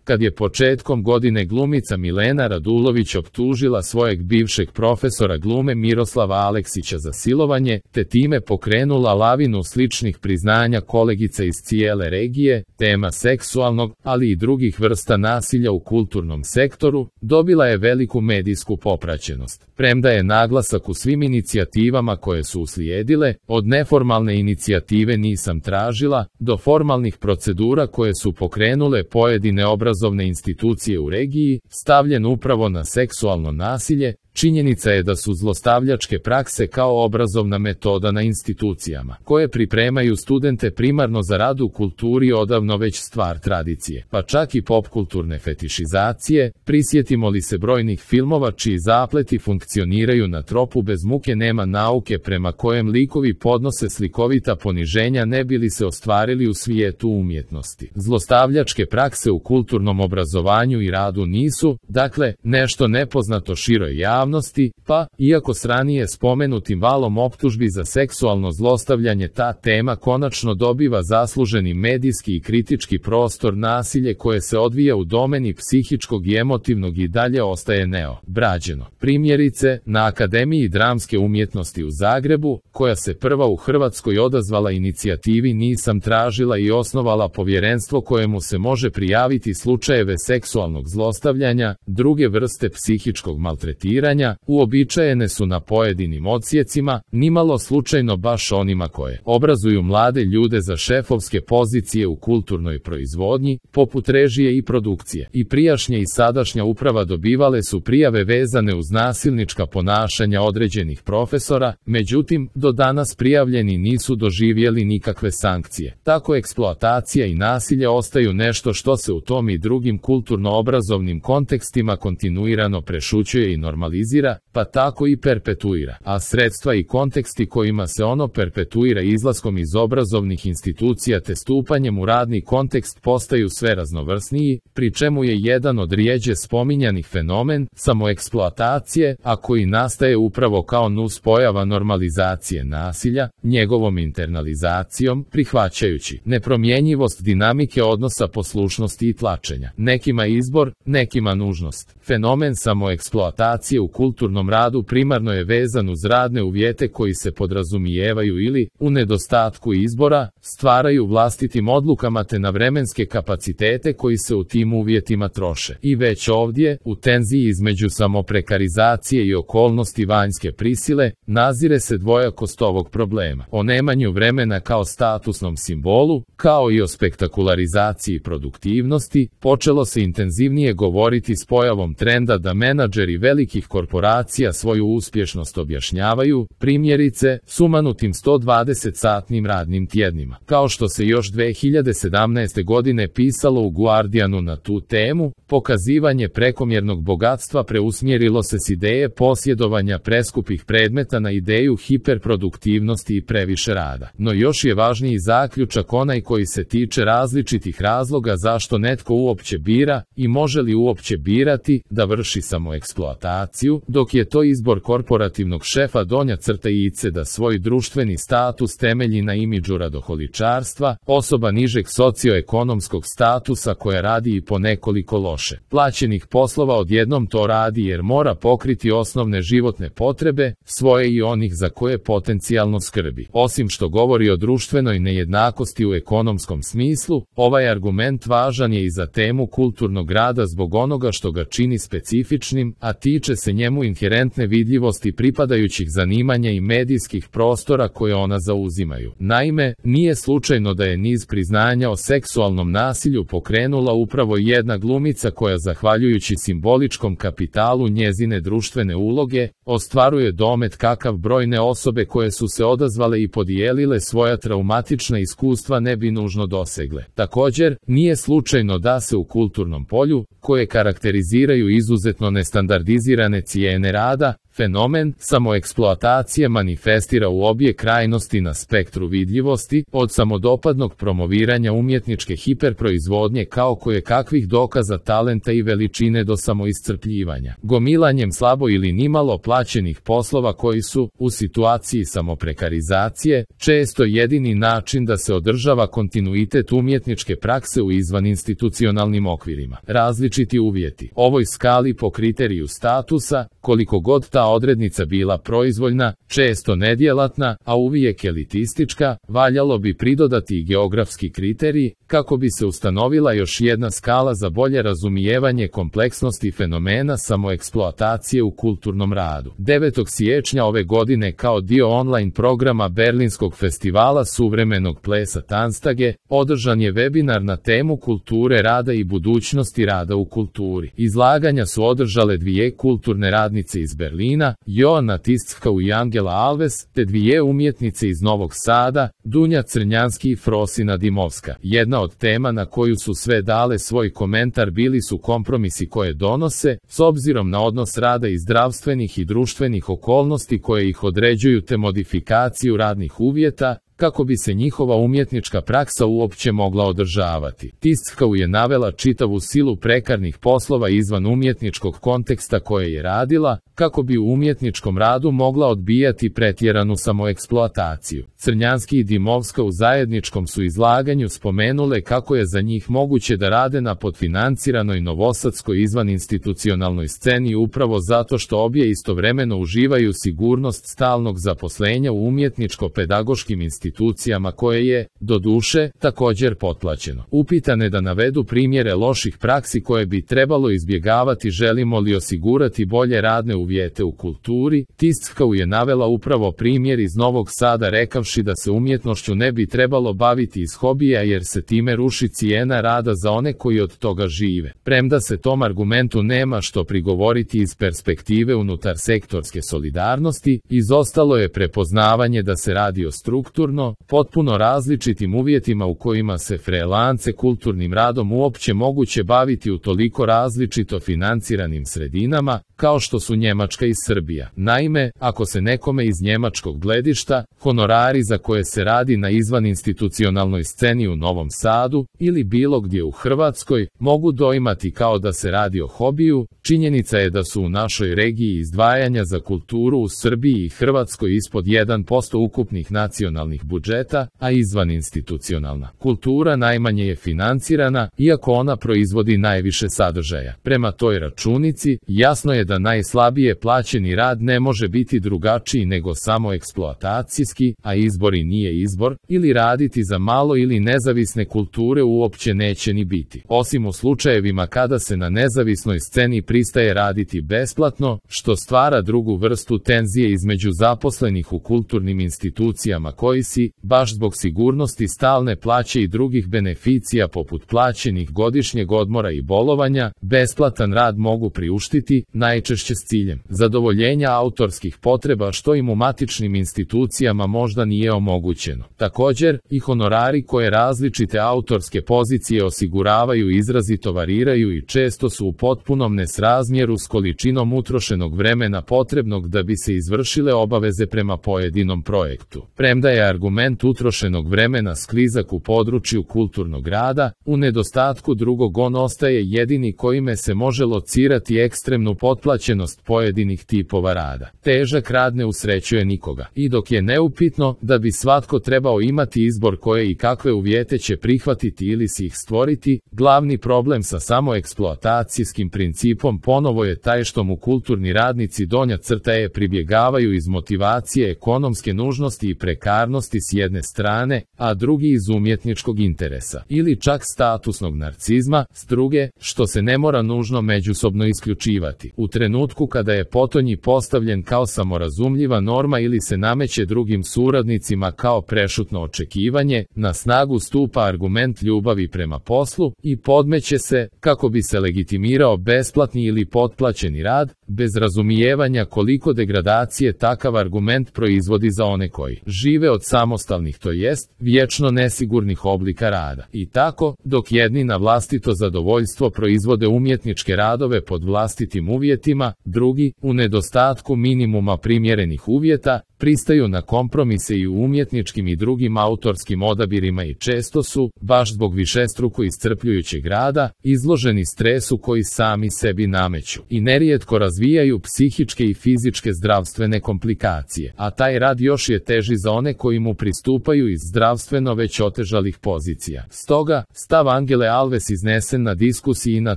kad je početkom godine glumica Milena Radulović optužila svojeg bivšeg profesora glume Miroslava Aleksića za silovanje, te time pokrenula lavinu sličnih priznanja kolegica iz cijele regije. Tema seksualnog, ali i drugih vrsta nasilja u kulturnom sektoru dobila je veliku medijsku popraćenost. Premda je naglasak u svim inicijativama koje su uslijedile, od neformalne inicijative Nisam tražila, do formalnih procedura koje su pokrenule pojedine obrazovne institucije u regiji, stavljen upravo na seksualno nasilje. Činjenica je da su zlostavljačke prakse kao obrazovna metoda na institucijama, koje pripremaju studente primarno za rad u kulturi, odavno već stvar tradicije, pa čak i popkulturne fetišizacije. Prisjetimo li se brojnih filmova čiji zapleti funkcioniraju na tropu bez muke nema nauke, prema kojem likovi podnose slikovita poniženja ne bi li se ostvarili u svijetu umjetnosti. Zlostavljačke prakse u kulturnom obrazovanju i radu nisu, dakle, nešto nepoznato široj javnosti, pa, iako s ranije spomenutim valom optužbi za seksualno zlostavljanje ta tema konačno dobiva zasluženi medijski i kritički prostor, nasilje koje se odvija u domeni psihičkog i emotivnog i dalje ostaje neobrađeno. Primjerice, na Akademiji dramske umjetnosti u Zagrebu, koja se prva u Hrvatskoj odazvala inicijativi Nisam tražila i osnovala povjerenstvo kojemu se može prijaviti slučajeve seksualnog zlostavljanja, druge vrste psihičkog maltretiranja, uobičajene su na pojedinim odsjecima, nimalo slučajno baš onima koje obrazuju mlade ljude za šefovske pozicije u kulturnoj proizvodnji, poput režije i produkcije. I prijašnja i sadašnja uprava dobivale su prijave vezane uz nasilnička ponašanja određenih profesora, međutim, do danas prijavljeni nisu doživjeli nikakve sankcije. Tako eksploatacija i nasilje ostaju nešto što se u tom i drugim kulturno-obrazovnim kontekstima kontinuirano prešućuje i normalizira, pa tako i perpetuira, a sredstva i konteksti kojima se ono perpetuira izlaskom iz obrazovnih institucija te stupanjem u radni kontekst postaju sve raznovrsniji, pri čemu je jedan od rijeđe spominjanih fenomen samoeksploatacije, a koji nastaje upravo kao nuspojava normalizacije nasilja, njegovom internalizacijom, prihvaćajući nepromjenjivost dinamike odnosa poslušnosti i tlačenja. Nekima izbor, nekima nužnost. Fenomen samoeksploatacije u kulturnom radu primarno je vezan uz radne uvjete koji se podrazumijevaju ili, u nedostatku izbora, stvaraju vlastitim odlukama te na vremenske kapacitete koji se u tim uvjetima troše. I već ovdje, u tenziji između samoprekarizacije i okolnosti vanjske prisile, nazire se dvojakost ovog problema. O nemanju vremena kao statusnom simbolu, kao i o spektakularizaciji produktivnosti, počelo se intenzivnije govoriti s pojavom trenda da menadžeri velikih korporacija svoju uspješnost objašnjavaju, primjerice, sumanutim 120-satnim radnim tjednima. Kao što se još 2017. godine pisalo u Guardianu na tu temu, pokazivanje prekomjernog bogatstva preusmjerilo se s ideje posjedovanja preskupih predmeta na ideju hiperproduktivnosti i previše rada. No još je važniji zaključak onaj koji se tiče različitih razloga zašto netko uopće bira i može li uopće birati da vrši samoeksploataciju, dok je to izbor korporativnog šefa donja crta ice da svoj društveni status temelji na imidžu radoholičarstva, osoba nižeg socioekonomskog statusa koja radi i po nekoliko loše plaćenih poslova odjednom to radi jer mora pokriti osnovne životne potrebe, svoje i onih za koje potencijalno skrbi. Osim što govori o društvenoj nejednakosti u ekonomskom smislu, ovaj argument važan je i za temu kulturnog rada zbog onoga što ga čini specifičnim, a tiče se njemu inherentne vidljivosti pripadajućih zanimanja i medijskih prostora koje ona zauzimaju. Naime, nije slučajno da je niz priznanja o seksualnom nasilju pokrenula upravo jedna glumica koja, zahvaljujući simboličkom kapitalu njezine društvene uloge, ostvaruje domet kakav brojne osobe koje su se odazvale i podijelile svoja traumatična iskustva ne bi nužno dosegle. Također, nije slučajno da se u kulturnom polju, koje karakteriziraju izuzetno nestandardizirane cijene rada, Fenomen samoeksploatacije manifestira u obje krajnosti na spektru vidljivosti, od samodopadnog promoviranja umjetničke hiperproizvodnje kao kakvih dokaza talenta i veličine do samoiscrpljivanja, gomilanjem slabo ili nimalo plaćenih poslova koji su, u situaciji samoprekarizacije, često jedini način da se održava kontinuitet umjetničke prakse u izvaninstitucionalnim okvirima. Različiti uvjeti. Ovoj skali po kriteriju statusa, koliko god ta odrednica bila proizvoljna, često nedjelatna, a uvijek elitistička, valjalo bi pridodati i geografski kriterij, kako bi se ustanovila još jedna skala za bolje razumijevanje kompleksnosti fenomena samoeksploatacije u kulturnom radu. 9. siječnja ove godine kao dio online programa Berlinskog festivala suvremenog plesa Tanstage, održan je webinar na temu kulture rada i budućnosti rada u kulturi. Izlaganja su održale dvije kulturne radnice iz Berlina, Joana Tisckau i Angela Alves, te dvije umjetnice iz Novog Sada, Dunja Crnjanski i Frosina Dimovska. Jedna od tema na koju su sve dale svoj komentar bili su kompromisi koje donose, s obzirom na odnos rada i zdravstvenih i društvenih okolnosti koje ih određuju te modifikaciju radnih uvjeta, kako bi se njihova umjetnička praksa uopće mogla održavati. Tisckau je navela čitavu silu prekarnih poslova izvan umjetničkog konteksta koje je radila, kako bi u umjetničkom radu mogla odbijati pretjeranu samoeksploataciju. Crnjanski i Dimovska u zajedničkom su izlaganju spomenule kako je za njih moguće da rade na podfinanciranoj novosadskoj izvaninstitucionalnoj sceni upravo zato što obje istovremeno uživaju sigurnost stalnog zaposlenja u umjetničko-pedagoškim institucijama koje je, doduše, također potplaćeno. Upitane da navedu primjere loših praksi koje bi trebalo izbjegavati želimo li osigurati bolje radne uvjete u kulturi, Tisckau je navela upravo primjer iz Novog Sada rekavši da se umjetnošću ne bi trebalo baviti iz hobija jer se time ruši cijena rada za one koji od toga žive. Premda se tom argumentu nema što prigovoriti iz perspektive unutar sektorske solidarnosti, izostalo je prepoznavanje da se radi o strukturno, potpuno različitim uvjetima u kojima se freelance kulturnim radom uopće moguće baviti u toliko različito financiranim sredinama, kao što su Njemačka i Srbija. Naime, ako se nekome iz njemačkog gledišta, honorari za koje se radi na izvaninstitucionalnoj sceni u Novom Sadu, ili bilo gdje u Hrvatskoj, mogu doimati kao da se radi o hobiju, činjenica je da su u našoj regiji izdvajanja za kulturu u Srbiji i Hrvatskoj ispod 1% ukupnih nacionalnih budžeta, a izvaninstitucionalna kultura najmanje je financirana, iako ona proizvodi najviše sadržaja. Prema toj računici, jasno je da najslabije plaćeni rad ne može biti drugačiji nego samo eksploatacijski, a izbor i nije izbor, ili raditi za malo ili nezavisne kulture uopće neće ni biti. Osim u slučajevima kada se na nezavisnoj sceni pristaje raditi besplatno, što stvara drugu vrstu tenzije između zaposlenih u kulturnim institucijama koji si, baš zbog sigurnosti stalne plaće i drugih beneficija poput plaćenih godišnjeg odmora i bolovanja, besplatan rad mogu priuštiti, najčešće s ciljem zadovoljenja autorskih potreba što im u matičnim institucijama možda nije omogućeno. Također, i honorari koje različite autorske pozicije osiguravaju izrazito variraju i često su u potpunom nesrazmjeru s količinom utrošenog vremena potrebnog da bi se izvršile obaveze prema pojedinom projektu. Premda je argument utrošenog vremena sklizak u području kulturnog rada, u nedostatku drugog on ostaje jedini kojime se može locirati ekstremnu potplaćenost pojedinih tipova rada. Težak rad ne usrećuje nikoga. I dok je neupitno da bi svatko trebao imati izbor koje i kakve uvjete će prihvatiti ili si ih stvoriti, glavni problem sa samoeksploatacijskim principom ponovo je taj što mu kulturni radnici donja crta je pribjegavaju iz motivacije ekonomske nužnosti i prekarnosti s jedne strane, a drugi iz umjetničkog interesa, ili čak statusnog narcizma, s druge, što se ne mora nužno međusobno isključivati. U trenutku kada je potonji postavljen kao samorazumljiva norma ili se nameće drugim suradnicima kao prešutno očekivanje, na snagu stupa argument ljubavi prema poslu i podmeće se, kako bi se legitimirao besplatni ili potplaćeni rad, bez razumijevanja koliko degradacije takav argument proizvodi za one koji žive od samostalnih, to jest vječno nesigurnih oblika rada. I tako, dok jedni na vlastito zadovoljstvo proizvode umjetničke radove pod vlastitim uvjetima, drugi, u nedostatku minimuma primjerenih uvjeta, pristaju na kompromise i u umjetničkim i drugim autorskim odabirima i često su, baš zbog višestruko iscrpljujućeg rada, izloženi stresu koji sami sebi nameću i nerijetko razvijaju psihičke i fizičke zdravstvene komplikacije, a taj rad još je teži za one koji mu pristupaju iz zdravstveno već otežalih pozicija. Stoga, stav Angele Alves iznesen na diskusiji na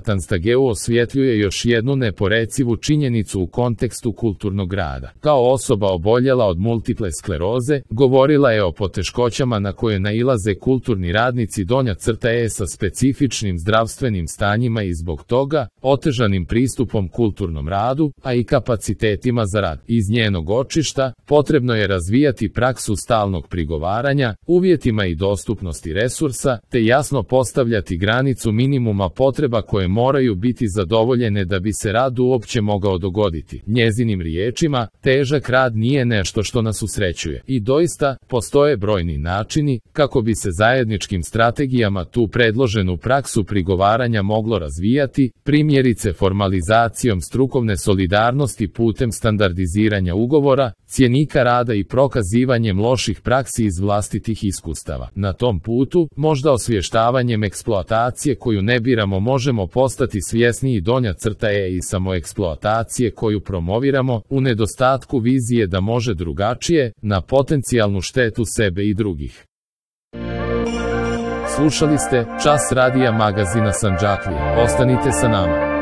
Tanstageu osvjetljuje još jednu neporecivu činjenicu u kontekstu kulturnog rada. Kao osoba oboljela od multiple skleroze, govorila je o poteškoćama na koje nailaze kulturni radnici donja crta sa specifičnim zdravstvenim stanjima i zbog toga, otežanim pristupom kulturnom radu, a i kapacitetima za rad. Iz njenog očišta, potrebno je razvijati praksu stalnog prigovaranja, uvjetima i dostupnosti resursa, te jasno postavljati granicu minimuma potreba koje moraju biti zadovoljene da bi se rad uopće mogao dogoditi. Njezinim riječima, težak rad nije nešto što nas usrećuje. I doista, postoje brojni načini kako bi se zajedničkim strategijama tu predloženu praksu prigovaranja moglo razvijati, primjerice formalizacijom strukovne solidarnosti putem standardiziranja ugovora, cjenika rada i prokazivanjem loših praksi iz vlastitih iskustava. Na tom putu, možda osvještavanjem eksploatacije koju ne biramo možemo postati svjesniji donja crta i samoeksploatacije koju promoviramo, u nedostatku vizije da može drugačije, na potencijalnu štetu sebe i drugih. Slušali ste Čas radija magazina Sandžaklija. Ostanite sa nama.